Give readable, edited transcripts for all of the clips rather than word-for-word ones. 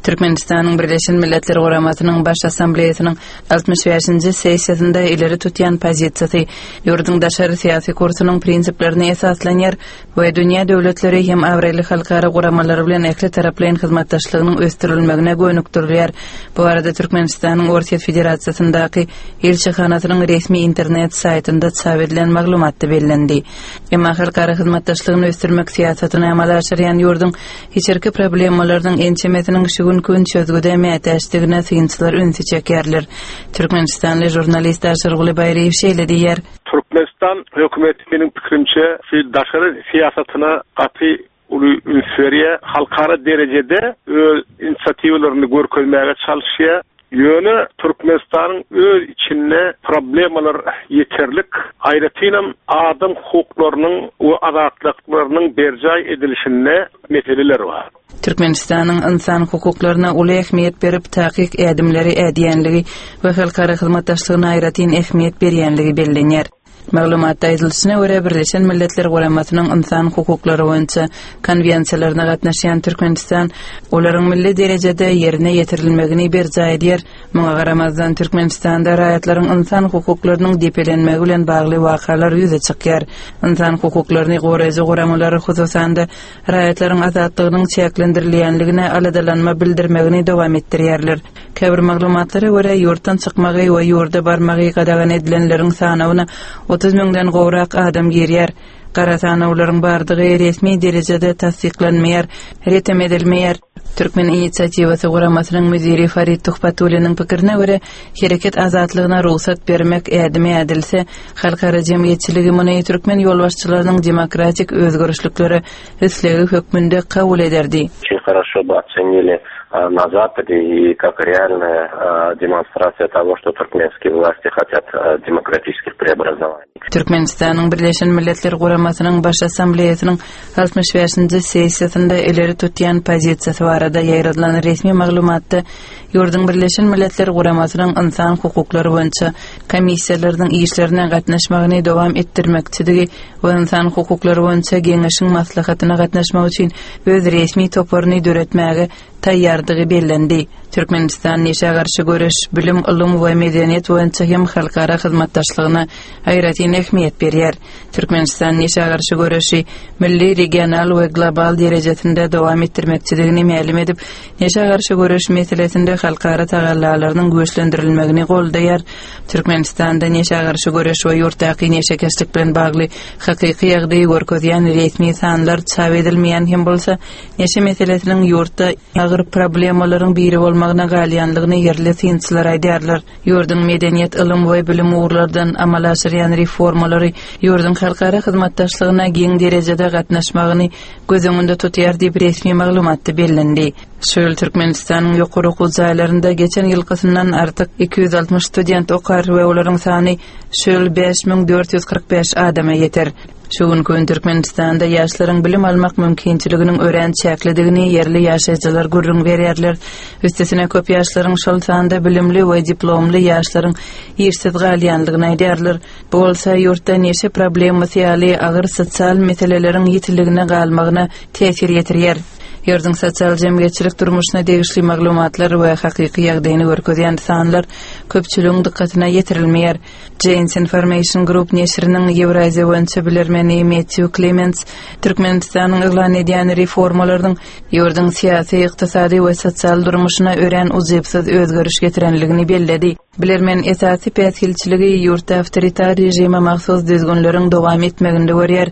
Türkmenistanyň Birleşen Milletler Guramasynyň Baş Assambleýasynyň 65-nji sessiýasynda ileri tutýan pozisiýasy ýurduň daşary syýasy kursunyň prinsiplerine esaslanýar we dünýä döwletleri hem abraýly halkara guramalary bilen ähli taraplaýyn hyzmatdaşlygynyň ösdürilmegine gönükdirilýär. Bu barada Türkmenistanyň Orsýet Federasiýasyndaky ilçihanasynyň resmi internet saýtynda çap edilen maglumatda bellendi. Emma halkara hyzmatdaşlygyny ösdürmek syýasatyny amala aşyrýan ýurduň içerki problemalarynyň ençemesiniň şu günki gün çözgüde mätäçdigine synçylar ünsi çekýärler. Türkmenistanly žurnalist Aşyrguly Baýryýew şeýle diýýär. Türkmenistan hökümeti meniň pikirimçe şu daşary syýasatyna gaty uly üns berýär. Halkara derejede öz inisiatiwalaryny görkezmäge çalyşýar. Ýöne Türkmenistanyň öz içinde problemalar ýeterlik, aýratynam adam hukuklarynyň we azatlyklarynyň berjaý edilişinde meseleler bar. Türkmenistanyň ynsan hukuklaryna uly ähmiýet berip, takyk ädimleri ädýänligi we halkara hyzmatdaşlygyna aýratyn ähmiýet berýänligi bellenýär. Maglumatda aýdylyşyna görä, Birleşen Milletler Guramasynyň ynsan hukuklary boýunça konwensiýalaryna gatnaşýan Türkmenistan olaryň milli derejede ýerine ýetirilmegini berjaý edýär. Muňa garamazdan, Türkmenistanda raýatlaryň ynsan hukuklarynyň depelenmegi bilen bagly wakalar ýüze çykýar. Ynsan hukuklaryny goraýjy guramalar, hususan-da, raýatlaryň azatlygynyň çäklendirilýänligine aladalanma bildirmegini dowam etdirýärler. Käbir maglumatlara görä, ýurtdan çykmagy we ýurda barmagy gadagan edilenleriň sanawyna 30 müňden gowrak adam girýär. Gara sanawlaryň bardygy resmi derejede tassyklanmaýar, retem edilmeýär. Türkmen inisiatiwasy guramasynyň müdiri Farid Tuhbatulliniň pikirine görä, hereket azatlygyna rugsat bermek ädimi ädilse, halkara jemgyýetçiligi muny türkmen ýolbaşçylarynyň demokratik özgerişliklere islegi hökmünde kabul ederdi. Очень хорошо бы оценили на Западе и как реальная демонстрация того, что туркменские власти хотят демократических преобразований. Türkmenistanyň Birleşen Milletler Guramasynyň Baş Assambleýasynyň 65-nji sessiýasynda ileri tutýan pozisiýasy barada ýaýradylan resmi maglumatda ýurduň Birleşen Milletler Guramasynyň ynsan hukuklary boýunça komissiýalarynyň işlerine gatnaşmagyny dowam etdirmekçidigi we ynsan hukuklary boýunça Geňeşiň maslahatyna gatnaşmak üçin öz resmi toparyny döretmäge taýýardygy bellendi. Türkmenistan neşä garşy göreş, bilim, ylym we medeniýet boýunça hem halkara hyzmatdaşlygyna aýratyn ähmiýet berýär. Türkmenistan neşä garşy göreşi milli, regional we global derejesinde dowam etdirmekçidigini mälim edip, neşä garşy göreş meselesinde halkara tagallalarynyň güýçlendirilmegini goldaýar. Türkmenistanda neşä garşy göreş we ýurtdaky neşekeşlik bilen bagly hakyky ýagdaýy görkezýän resmi sanlar çap edilmeýän hem bolsa, Neşe meselesiniň ýurtda agyr problemalaryň biri bolmagyna galýanlygyny ýerli synçylar aýdýarlar. Ýurduň medeniýet, ylym we bilim ugurlardan amala aşyrýan reformalary ýurduň halkara hyzmatdaşlygyna giň derejede gatnaşmagyny göz öňünde tutýar diýip, resmi maglumatda bellendi. Şu ýyl Türkmenistanyň ýokary okuw jaýlarynda geçen ýylkysyndan artyk 260 student okar we olaryň sany şu ýyl 5445 adama ýeter. Şu günki gün Türkmenistanda ýaşlaryň bilim almak mümkinçiliginiň örän çäklidigini ýerli ýaşaýjylar gürrüň berýärler. Üstesine köp ýaşlaryň, şol sanda bilimli we diplomly ýaşlaryň işsiz galýandygyny aýdýarlar. Bu bolsa ýurtda neşe problemasy ýaly agyr sosial meseleleriň ýitiligine galmagyna täsir ýetirýär. Ýurduň sosial-jemgyýetçilik durmuşyna degişli maglumatlar we hakyky ýagdaýyny görkezýän sanlar köpçüligiň dykgatyna ýetirilmeýär. Jane's Information Group neşiriniň Ýewraziýa boýunça bilermeni Mettýu Klements Türkmenistanyň yglan edýän reformalarynyň ýurduň syýasy, ykdysady we sosial durmuşyna örän ujypsyz özgeriş getirenligini belledi. Bilermen esasy päsgelçiligi ýurtda awtoritar režime mahsus düzgünleriň dowam etmeginde görýär.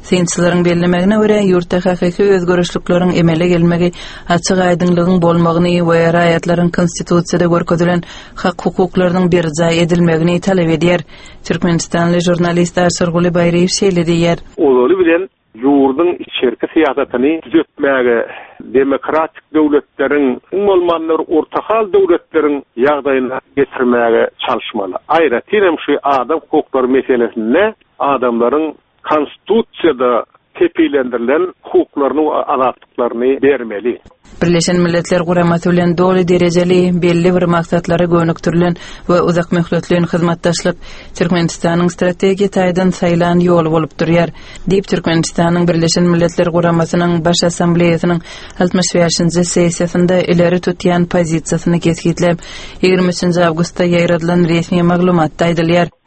Synçylaryň bellemegine görä, ýurtda hakyky özgerişlikleriň emele gelmegi açyk-aýdyňlygyň bolmagyny we raýatlaryň Konstitusiýada görkezilen hak-hukuklarynyň berjaý edilmegini talap edýär. Türkmenistanly žurnalist Aşyrguly Baýryýew şeýle diýýär. Ozaly bilen, ýurduň içerki syýasatyny düzetmäge, demokratik döwletleriň, iň bolmanda bir ortahal döwletleriň ýagdaýyna getirmäge çalyşmaly. Aýratyn hem şu adam hukuklary meselesinde adamlaryň Konstitusiýada. kepillendirilen hukuklaryny we azatlyklaryny bermeli. Birleşen Milletler Guramasy bilen doly derejeli, belli bir maksatlara gönükdirilen we uzakmöhletleýin hyzmatdaşlyk Türkmenistanyň strategiýa taýdan saýlan ýoly bolup durýar, diýip, Türkmenistanyň Birleşen Milletler Guramasynyň Baş Assambleýasynyň 65-nji sessiýasynda ileri tutýan pozisiýasyny kesgitläp, 23 awgustda ýaýradylan resmi maglumatda aýdylýar.